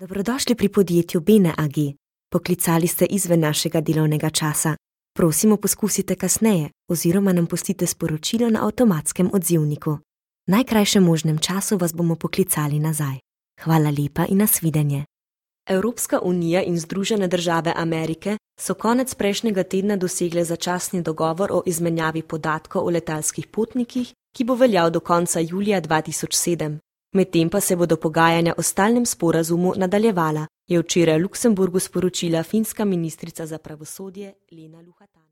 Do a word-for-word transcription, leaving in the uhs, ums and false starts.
Dobrodošli pri podjetju Bene A G. Poklicali ste izven našega delovnega časa. Prosimo, poskusite kasneje oziroma nam pustite sporočilo na avtomatskem odzivniku. V najkrajšem možnem času vas bomo poklicali nazaj. Hvala lepa in nasvidenje. Evropska unija in Združene države Amerike so konec prejšnjega tedna dosegle začasni dogovor o izmenjavi podatkov o letalskih potnikih, ki bo veljal do konca julija dva tisoč sedem. Medtem pa se bodo pogajanja o stalnem sporazumu nadaljevala, je včeraj v Luksemburgu sporočila finska ministrica za pravosodje Lena Luhatanen.